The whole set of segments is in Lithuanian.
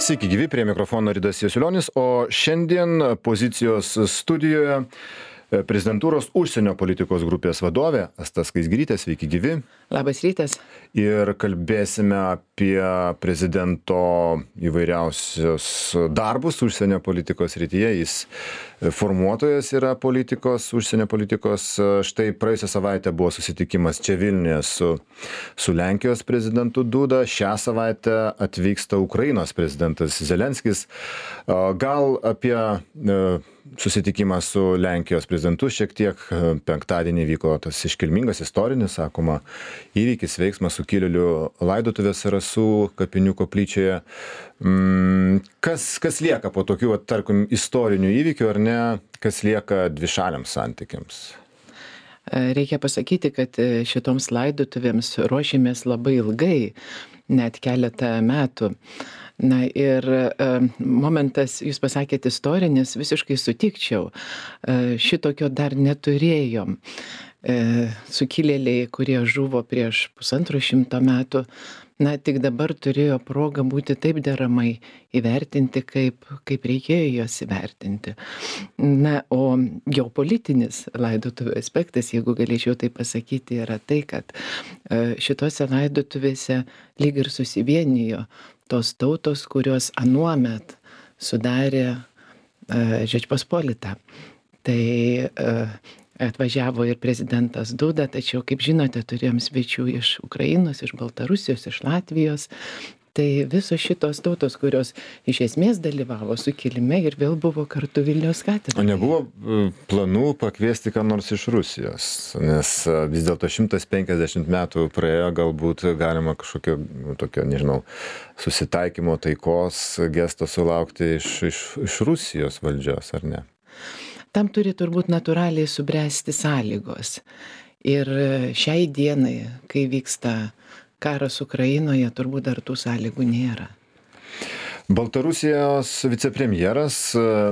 Sveiki gyvi, prie mikrofono Ridas Jasiulionis, o šiandien pozicijos studijoje prezidentūros užsienio politikos grupės vadovė Asta Skaisgirytė. Sveiki gyvi. Labas rytas. Ir kalbėsime apie prezidento įvairiausius darbus užsienio politikos srityje. Jis formuotojas yra politikos, užsienio politikos. Štai praėjusią savaitę buvo susitikimas čia Vilniuje su Lenkijos prezidentu Duda. Šią savaitę atvyksta Ukrainos prezidentas Zelenskis. Gal apie susitikimą su Lenkijos prezidentu šiek tiek. Penktadienį vyko tas iškilmingas istorinis, sakoma, įvykis, veiksmas sukilėlių laidotuvės Rasų kapinių koplyčioje. Kas lieka po tokių, tarkim, istorinių įvykių, ar ne, kas lieka dvišaliams santykiams? Reikia pasakyti, kad šitoms laidotuvėms ruošėmės labai ilgai, net keletą metų. Na ir momentas, jūs pasakėte istorinis, visiškai sutikčiau. Šitokio dar neturėjom. Sukilėliai, kurie žuvo prieš 150 metų, na tik dabar turėjo progą būti taip deramai įvertinti, kaip reikėjo juos įvertinti. Na, o geopolitinis laidotuvių aspektas, jeigu galėčiau tai pasakyti, yra tai, kad šitose laidotuvėse lyg ir susivienijo tos tautos, kurios anuomet sudarė Žečpospolitą. Tai atvažiavo ir prezidentas Duda, tačiau, kaip žinote, turėjom svečių iš Ukrainos, iš Baltarusijos, iš Latvijos. Tai visos šitos tautos, kurios iš esmės dalyvavo sukilime ir vėl buvo kartu Vilniaus katedroje. O nebuvo planų pakviesti ką nors iš Rusijos, nes vis dėlto 150 metų praėjo, galbūt galima kažkokio, tokio, nežinau, susitaikymo, taikos gesto sulaukti iš Rusijos valdžios, ar ne? Tam turi turbūt natūraliai subręsti sąlygos. Ir šiai dienai, kai vyksta karas Ukrainoje, turbūt dar tų sąlygų nėra. Baltarusijos vicepremjeras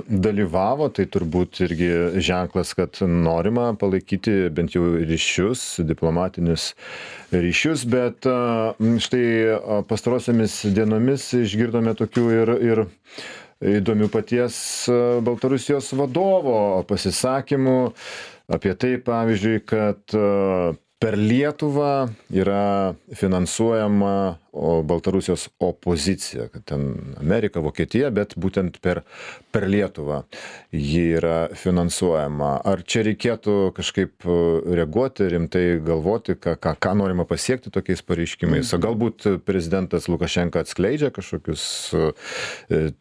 dalyvavo, tai turbūt irgi ženklas, kad norima palaikyti bent jau ryšius, diplomatinius ryšius, bet štai pastarosiomis dienomis išgirdome tokių ir įdomių paties Baltarusijos vadovo pasisakymų apie tai, pavyzdžiui, kad per Lietuvą yra finansuojama Baltarusijos opozicija, kad ten Amerika, Vokietija, bet būtent per Lietuvą ji yra finansuojama. Ar čia reikėtų kažkaip reaguoti, rimtai galvoti, ką norima pasiekti tokiais pareiškimais? O galbūt prezidentas Lukašenka atskleidžia kažkokius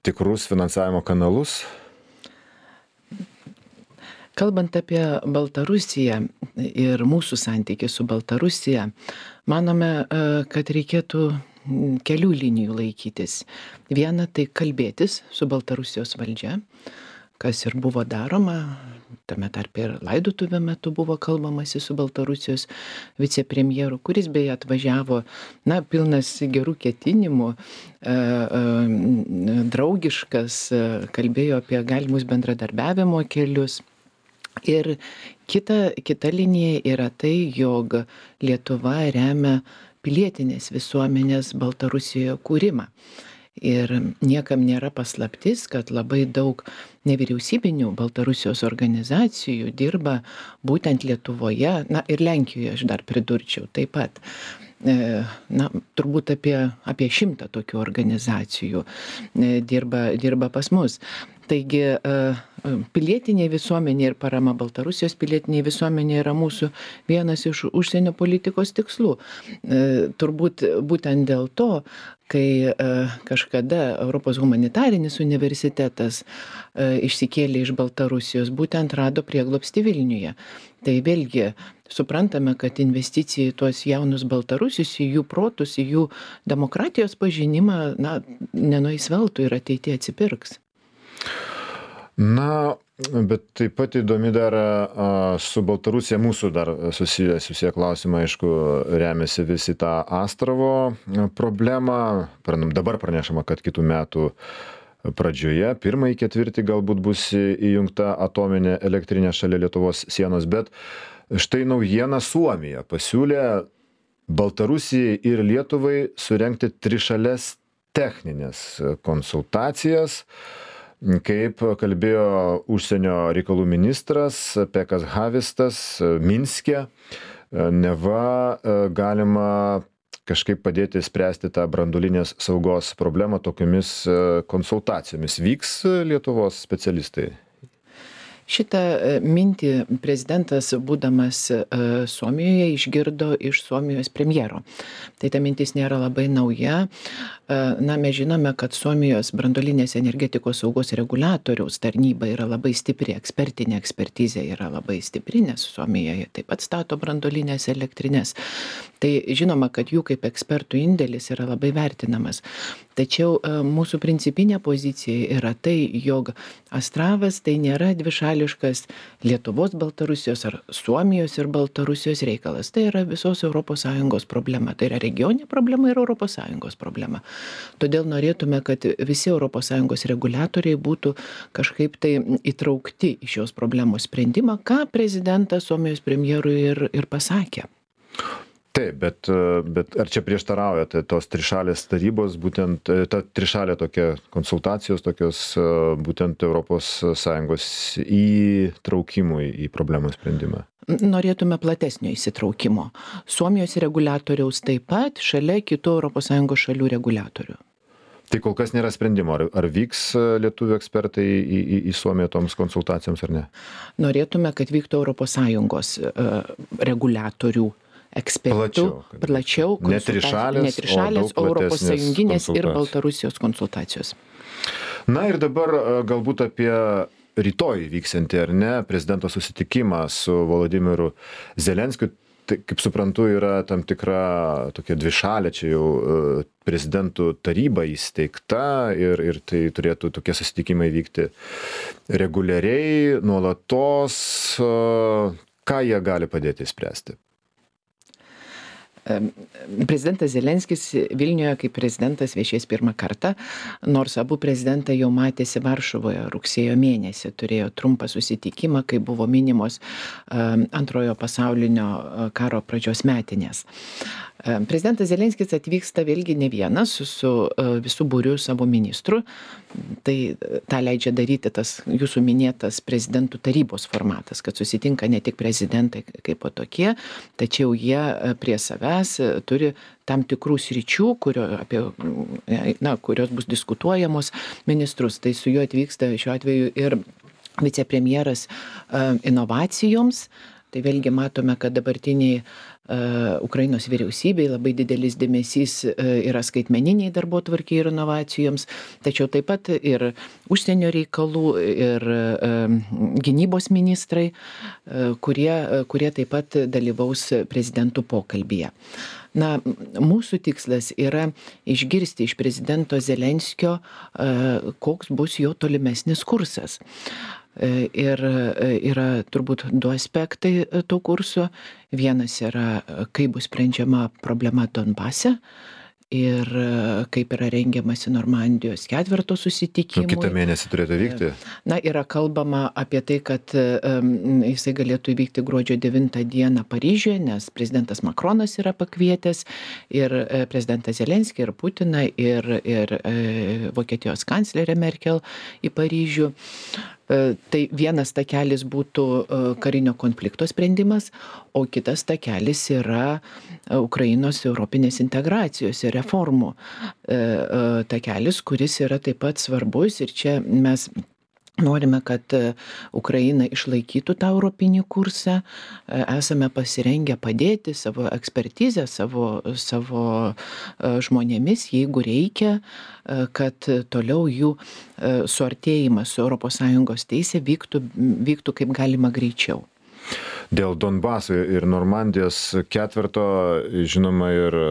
tikrus finansavimo kanalus? Kalbant apie Baltarusiją ir mūsų santykį su Baltarusija, manome, kad reikėtų kelių linijų laikytis. Viena, tai kalbėtis su Baltarusijos valdžia, kas ir buvo daroma, tame tarpe ir laidotuvių metu buvo kalbamasi su Baltarusijos vicepremjeru, kuris beje atvažiavo, pilnas gerų ketinimų, draugiškas, kalbėjo apie galimus bendradarbiavimo kelius. Ir kita linija yra tai, jog Lietuva remia pilietinės visuomenės Baltarusijoje kūrimą. Ir niekam nėra paslaptis, kad labai daug nevyriausybinių Baltarusijos organizacijų dirba būtent Lietuvoje, ir Lenkijoje aš dar pridurčiau taip pat. Turbūt apie 100 tokių organizacijų dirba pas mus. Taigi pilietinė visuomenė ir parama Baltarusijos pilietinė visuomenė yra mūsų vienas iš užsienio politikos tikslų. Turbūt būtent dėl to, kai kažkada Europos humanitarinis universitetas išsikėlė iš Baltarusijos, būtent rado prieglobstį Vilniuje. Tai vėlgi suprantame, kad investicija į tuos jaunus baltarusius, į jų protus, į jų demokratijos pažinimą, nenueis veltui ir ateityje atsipirks. Bet taip pat įdomi dar su Baltarusija mūsų dar susiję klausimai, aišku, remiasi visi tą Astravo problemą. Dabar pranešama, kad kitų metų pradžioje, pirmąjį ketvirtį galbūt bus įjungta atominė elektrinė šalia Lietuvos sienos, bet štai naujiena: Suomija pasiūlė Baltarusijai ir Lietuvai surengti trišales techninės konsultacijas, kaip kalbėjo užsienio reikalų ministras Pekas Havistas Minske, neva galima kažkaip padėti spręsti tą branduolinės saugos problemą tokiomis konsultacijomis. Vyks Lietuvos specialistai? Šitą mintį prezidentas, būdamas Suomijoje, išgirdo iš Suomijos premjero. Tai ta mintis nėra labai nauja. Na, mes žinome, kad Suomijos branduolinės energetikos saugos reguliatoriaus tarnyba yra labai stipri, ekspertinė ekspertizė yra labai stipri, nes Suomijoje taip pat stato branduolinės elektrinės. Tai žinoma, kad jų kaip ekspertų indėlis yra labai vertinamas. Tačiau mūsų principinė pozicija yra tai, jog Astravas tai nėra dvišališkas Lietuvos, Baltarusijos ar Suomijos ir Baltarusijos reikalas. Tai yra visos ES problema. Tai yra regioninė problema ir ES problema. Todėl norėtume, kad visi ES reguliatoriai būtų kažkaip tai įtraukti į šios problemos sprendimą, ką prezidentas Suomijos premjerui ir pasakė. Taip, bet ar čia prieštarauja tos trišalės tarybos, būtent ta trišalė tokia konsultacijos, tokios būtent ES įtraukimui į problemų sprendimą? Norėtume platesnio įsitraukimo. Suomijos reguliatoriaus taip pat šalia kitų ES šalių reguliatorių. Tai kol kas nėra sprendimo, ar vyks lietuvių ekspertai į Suomiją toms konsultacijoms ar ne? Norėtume, kad vyktų ES reguliatorių ekspertų, plačiau ne trišalės, o Europos Sąjunginės ir Baltarusijos konsultacijos. Na ir dabar galbūt apie rytoj vyksiantį, ar ne, prezidento susitikimą su Volodymyru Zelenskiu. Tai, kaip suprantu, yra tam tikra tokia dvišalė, čia jau prezidentų taryba įsteigta ir tai turėtų tokie susitikimai vykti reguliariai, nuolatos. Ką jie gali padėti spręsti? Prezidentas Zelenskis Vilniuje kaip prezidentas viešės pirmą kartą, nors abu prezidentai jau matėsi Varšuvoje rugsėjo mėnesį, turėjo trumpą susitikimą, kai buvo minimos antrojo pasaulinio karo pradžios metinės. Prezidentas Zelenskis atvyksta vėlgi ne vienas su visų būriu savo ministrų. Tai tą leidžia daryti tas jūsų minėtas prezidentų tarybos formatas, kad susitinka ne tik prezidentai kaip po tokie, tačiau jie prie savęs turi tam tikrų sričių, kurios bus diskutuojamos ministrus. Tai su juo atvyksta šiuo atveju ir vicepremjeras inovacijoms. Tai vėlgi matome, kad dabartiniai Ukrainos vyriausybei labai didelis dėmesys yra skaitmeniniai darbotvarkei ir inovacijoms, tačiau taip pat ir užsienio reikalų ir gynybos ministrai, kurie taip pat dalyvaus prezidentų pokalbyje. Na, mūsų tikslas yra išgirsti iš prezidento Zelenskio, koks bus jo tolimesnis kursas. Ir yra turbūt du aspektai to kurso. Vienas yra, kaip bus sprendžiama problema Donbase ir kaip yra rengiamasi Normandijos ketverto susitikimui. Kitą mėnesį turėtų vykti? Na, yra kalbama apie tai, kad jisai galėtų įvykti gruodžio 9 dieną Paryžiuje, nes prezidentas Makronas yra pakvietęs ir prezidentas Zelenskį, ir Putiną, ir Vokietijos kanclerę Merkel į Paryžių. Tai vienas takelis būtų karinio konflikto sprendimas, o kitas takelis yra Ukrainos europinės integracijos ir reformų takelis, kuris yra taip pat svarbus ir čia mes norime, kad Ukraina išlaikytų tą europinį kursą, esame pasirengę padėti savo ekspertizę, savo žmonėmis, jeigu reikia, kad toliau jų suartėjimas su ES teisė vyktų kaip galima greičiau. Dėl Donbaso ir Normandijos ketverto, žinoma, ir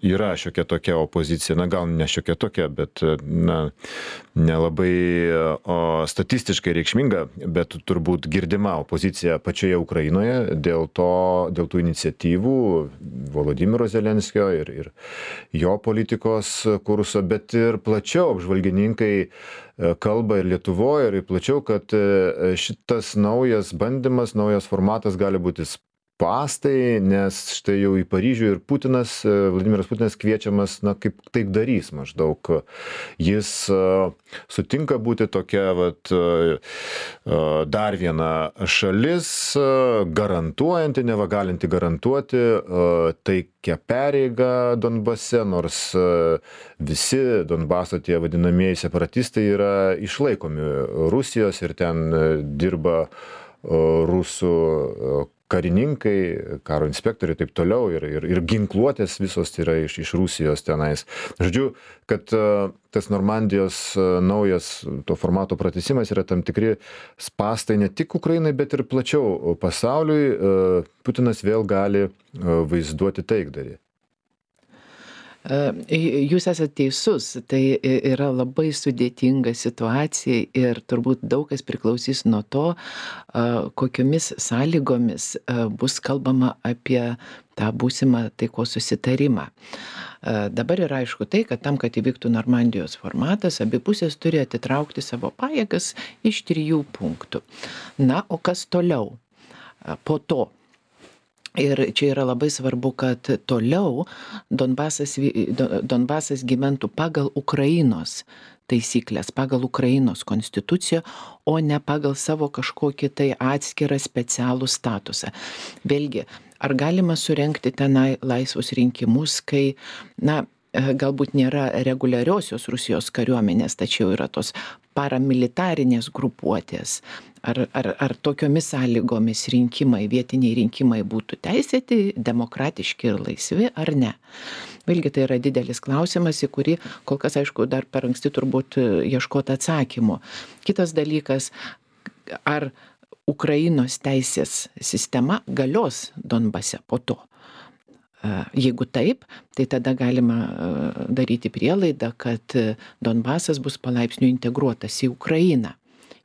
yra šiokia tokia opozicija, na gal ne šiokia tokia, bet nelabai statistiškai reikšminga, bet turbūt girdima opozicija pačioje Ukrainoje dėl tų iniciatyvų Volodymyro Zelenskio ir jo politikos kurso, bet ir plačiau apžvalgininkai kalba ir Lietuvoje, ir plačiau, kad šitas naujas bandymas, naujas formatas gali būti spąstai, nes štai jau į Paryžių ir Vladimiras Putinas kviečiamas, kaip taikdarys maždaug. Jis sutinka būti tokia dar viena šalis, garantuojanti, neva galinti garantuoti taikią pareigą Donbase, nors visi Donbaso tie vadinamieji separatistai yra išlaikomi Rusijos ir ten dirba rusų karininkai, karo inspektoriai ir taip toliau, ir ginkluotės visos yra iš Rusijos tenais. Žodžiu, kad tas Normandijos naujas to formato pratęsimas yra tam tikri spąstai ne tik Ukrainai, bet ir plačiau pasauliui. Putinas vėl gali vaizduoti taikdarį. Jūs esate teisus, tai yra labai sudėtinga situacija ir turbūt daug kas priklausys nuo to, kokiomis sąlygomis bus kalbama apie tą būsimą taikos susitarimą. Dabar yra aišku tai, kad tam, kad įvyktų Normandijos formatas, abi pusės turi atitraukti savo pajėgas iš 3 punktų. Na, o kas toliau po to? Ir čia yra labai svarbu, kad toliau Donbasas gyventų pagal Ukrainos taisyklės, pagal Ukrainos konstituciją, o ne pagal savo kažkokį tai atskirą specialų statusą. Vėlgi, ar galima surengti tenai laisvus rinkimus, kai, galbūt nėra reguliariosios Rusijos kariuomenės, tačiau yra tos paramilitarinės grupuotės. Ar tokiomis sąlygomis vietiniai rinkimai būtų teisėti, demokratiški ir laisvi, ar ne? Vėlgi tai yra didelis klausimas, į kurį kol kas, aišku, dar per anksti turbūt ieškoti atsakymų. Kitas dalykas, ar Ukrainos teisės sistema galios Donbase po to? Jeigu taip, tai tada galima daryti prielaidą, kad Donbasas bus palaipsniui integruotas į Ukrainą.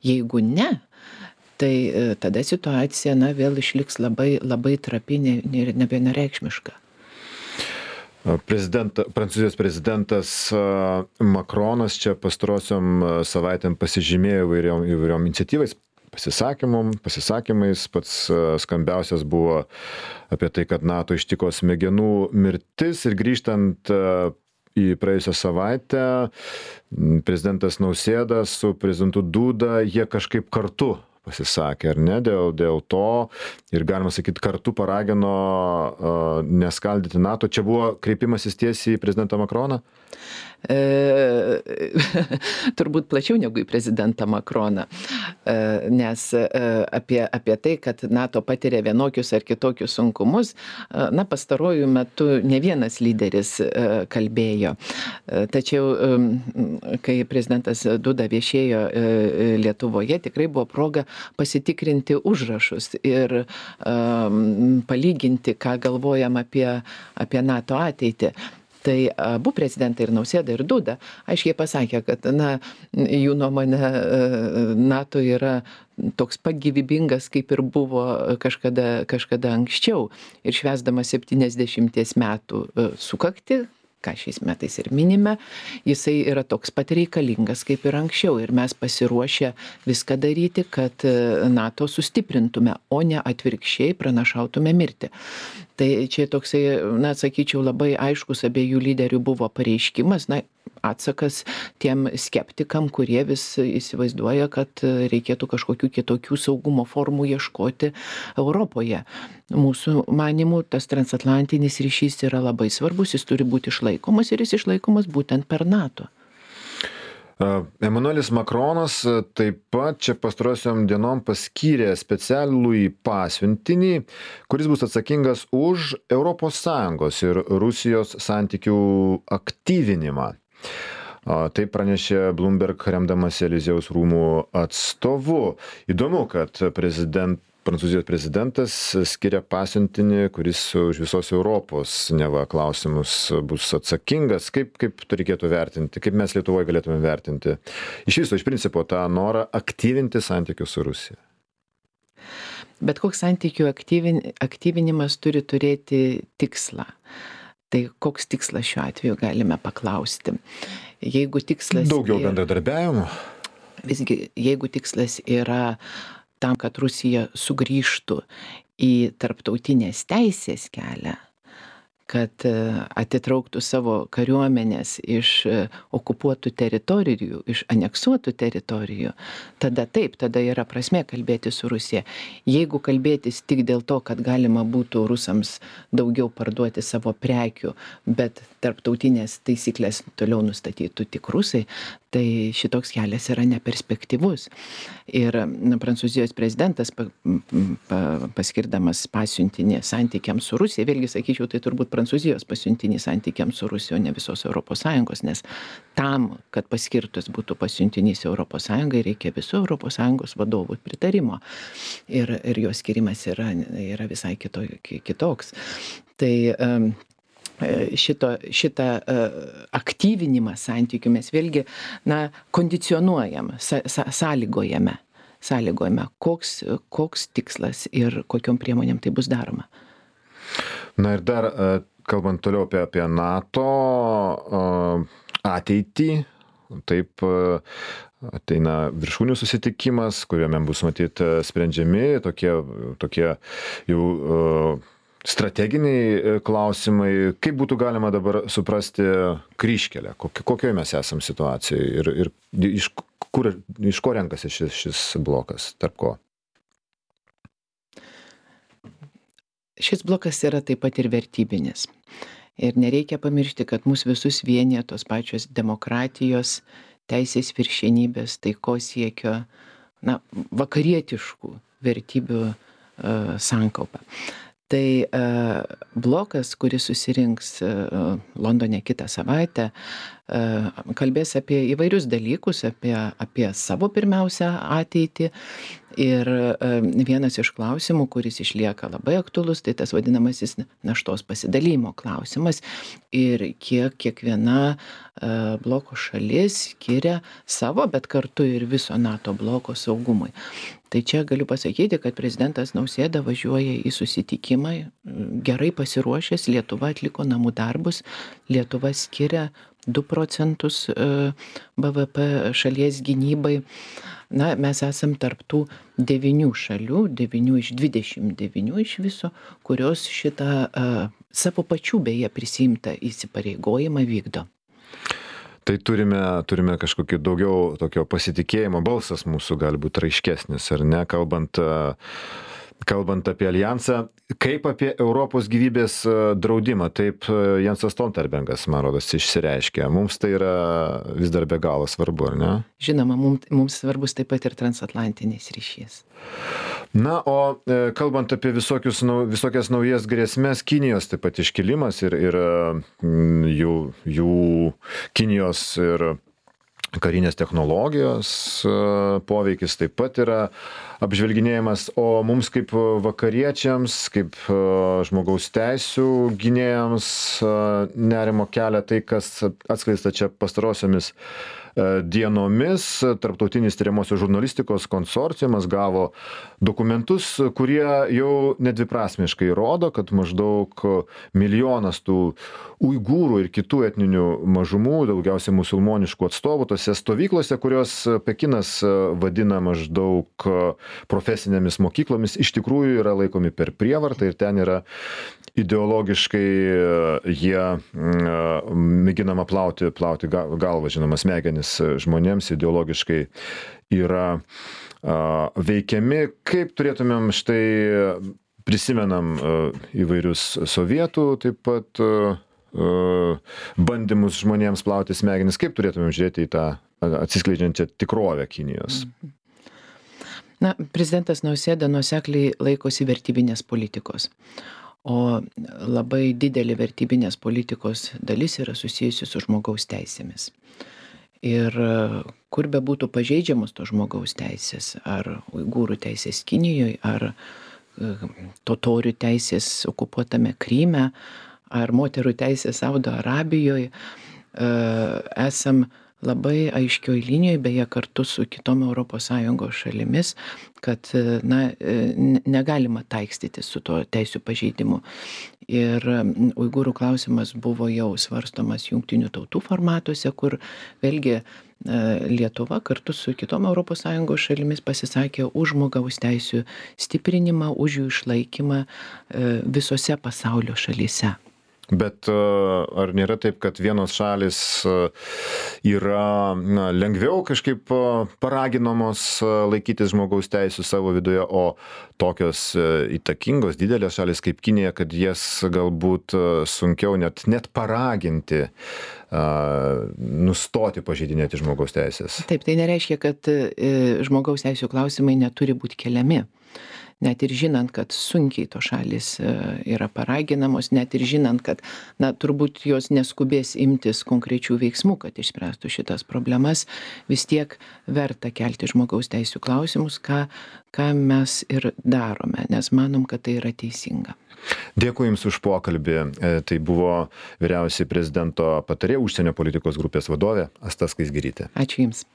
Jeigu ne, tai tada situacija vėl išliks labai, labai trapi ir nevienareikšmiška. Prancūzijos prezidentas Makronas čia pastarosiom savaitėm pasižymėjo įvairiom iniciatyvais, pasisakymais. Pats skambiausias buvo apie tai, kad NATO ištiko smegenų mirtis, ir grįžtant į praėjusią savaitę, prezidentas Nausėda su prezidentu Duda, jie kažkaip kartu pasisakė, ar ne, dėl to, ir galima sakyti, kartu paragino neskaldyti NATO. Čia buvo kreipimasis tiesiai į prezidentą Makroną? Turbūt plačiau negu į prezidentą Makroną, nes apie tai, kad NATO patiria vienokius ar kitokius sunkumus, pastaruoju metu ne vienas lyderis kalbėjo. Tačiau, kai prezidentas Duda viešėjo Lietuvoje, tikrai buvo proga pasitikrinti užrašus ir palyginti, ką galvojam apie NATO ateitį. Tai abu prezidentai, ir Nausėda, ir Duda, aiškiai pasakė, kad jų nuomonė NATO yra toks pat gyvybingas, kaip ir buvo kažkada anksčiau. Ir švęsdamas 70 metų sukaktį, ką šiais metais ir minime, jisai yra toks pat reikalingas kaip ir anksčiau. Ir mes pasiruošę viską daryti, kad NATO sustiprintume, o ne atvirkščiai pranašautume mirtį. Tai čia toksai, sakyčiau, labai aiškus abiejų lyderių buvo pareiškimas, atsakas tiem skeptikam, kurie vis įsivaizduoja, kad reikėtų kažkokių kitokių saugumo formų ieškoti Europoje. Mūsų manimų tas transatlantinis ryšys yra labai svarbus, jis turi būti išlaikomas, ir jis išlaikomas būtent per NATO. Emanuelis Makronas taip pat čia pastarosiom dienom paskyrė specialųjį pasiuntinį, kuris bus atsakingas už ES ir Rusijos santykių aktyvinimą. Tai pranešė Bloomberg, remdamas Eliziejaus rūmų atstovu. Įdomu, kad Prancūzijos prezidentas skiria pasiuntinį, kuris už visos Europos neva klausimus bus atsakingas. Kaip tai reikėtų vertinti? Kaip mes Lietuvoje galėtume vertinti iš viso, iš principo, tą norą aktyvinti santykius su Rusija? Bet koks santykių aktyvinimas turi turėti tikslą. Tai koks tikslas šiuo atveju galime paklausti? Jeigu tikslas daugiau bendradarbiavimo? Visgi, jeigu tikslas yra tam, kad Rusija sugrįžtų į tarptautinės teisės kelią, kad atitrauktų savo kariuomenės iš okupuotų teritorijų, iš aneksuotų teritorijų, tada taip, tada yra prasmė kalbėti su Rusija. Jeigu kalbėtis tik dėl to, kad galima būtų rusams daugiau parduoti savo prekių, bet tarptautinės taisyklės toliau nustatytų tik rusai, tai šitoks kelias yra neperspektyvus. Ir Prancūzijos prezidentas paskirdamas pasiuntinį santykiams su Rusija, vėlgi sakyčiau, tai turbūt Prancūzijos pasiuntinį santykiams su Rusija, o ne visos ES, nes tam, kad paskirtas būtų pasiuntinys ES, reikia visų ES vadovų pritarimo. Ir jos skirimas yra visai kitoks. Tai šitą aktyvinimą santykių mes vėlgi kondicionuojam, sąlygojame, koks tikslas ir kokiom priemonėm tai bus daroma. Na ir dar, kalbant toliau apie NATO ateitį, taip ateina viršūnių susitikimas, kuriame bus matyt sprendžiami tokie jau strateginiai klausimai. Kaip būtų galima dabar suprasti kryžkelę? Kokioje mes esam situacijoje ir iš ko renkasi šis blokas, tarp ko? Šis blokas yra taip pat ir vertybinis. Ir nereikia pamiršti, kad mus visus vienija tos pačios demokratijos, teisės viršenybės, taikos siekio, vakarietiškų vertybių sankaupa. Tai blokas, kuris susirinks Londone kitą savaitę, kalbės apie įvairius dalykus, apie savo pirmiausia ateitį. Ir vienas iš klausimų, kuris išlieka labai aktualus, tai tas vadinamasis naštos pasidalymo klausimas ir kiek kiekviena bloko šalis skiria savo, bet kartu ir viso NATO bloko saugumui. Tai čia galiu pasakyti, kad prezidentas Nausėda važiuoja į susitikimą, gerai pasiruošęs, Lietuva atliko namų darbus, Lietuva skiria 2% BVP šalies gynybai. Mes esam tarptų 9 šalių, 9 iš 29 iš viso, kurios šitą savo pačių beje prisiimtą įsipareigojimą vykdo. Tai turime kažkokį daugiau tokio pasitikėjimo, balsas mūsų gali būti raiškesnis, ar ne, kalbant apie alijansą, kaip apie Europos gyvybės draudimą, taip Jensas Stoltenbergas, man rodos, išsireiškė. Mums tai yra vis dar be galo svarbu, ar ne? Žinoma, mums svarbus taip pat ir transatlantinis ryšys. Na, o kalbant apie visokias naujas grėsmės, Kinijos taip pat iškilimas ir jų Kinijos ir karinės technologijos poveikis taip pat yra apžvelginėjimas, o mums kaip vakariečiams, kaip žmogaus teisių gynėjams nerimo kelia tai, kas atskleista čia pastarosiomis dienomis. Tarptautinis tyriamosios žurnalistikos konsorciumas gavo dokumentus, kurie jau nedviprasmiškai rodo, kad maždaug 1 milijonas tų uigūrų ir kitų etninių mažumų, daugiausiai musulmoniškų atstovų tose stovyklose, kurios Pekinas vadina maždaug profesinėmis mokyklomis, iš tikrųjų yra laikomi per prievartą ir ten yra ideologiškai jie mėginama plauti galvą, žinoma, smegenis žmonėms, ideologiškai yra veikiami. Kaip turėtumėm prisimenam įvairius sovietų taip pat bandymus žmonėms plauti smegenis, kaip turėtumėm žiūrėti į tą atsiskleidžiančią tikrovę Kinijos? Prezidentas Nausėda nuosekliai laikosi vertybinės politikos. O labai didelė vertybinės politikos dalis yra susijusi su žmogaus teisėmis. Ir kur be būtų pažeidžiamos to žmogaus teisės, ar uigūrų teisės Kinijoje, ar totorių teisės okupuotame Kryme, ar moterų teisės Saudo Arabijoje, esam labai aiškioj linijoj, beje kartu su kitom ES šalimis, kad negalima taikstyti su to teisių pažeidimu. Ir uigūrų klausimas buvo jau svarstomas jungtinių tautų formatuose, kur vėlgi Lietuva kartu su kitom ES šalimis pasisakė už žmogaus teisių stiprinimą, už jų išlaikymą visose pasaulio šalyse. Bet ar nėra taip, kad vienos šalis yra lengviau kažkaip paraginamos laikytis žmogaus teisų savo viduje, o tokios įtakingos didelės šalis kaip Kinija, kad jas galbūt sunkiau net paraginti nustoti pažeidinėti žmogaus teisės? Taip, tai nereiškia, kad žmogaus teisų klausimai neturi būti keliami. Net ir žinant, kad sunkiai to šalis yra paraginamos, net ir žinant, kad, turbūt jos neskubės imtis konkrečių veiksmų, kad išspręstų šitas problemas, vis tiek verta kelti žmogaus teisų klausimus, ką mes ir darome, nes manom, kad tai yra teisinga. Dėkui Jums už pokalbį. Tai buvo vyriausioji prezidento patarėja užsienio politikos grupės vadovė Asta Skaisgirytė. Ačiū Jums.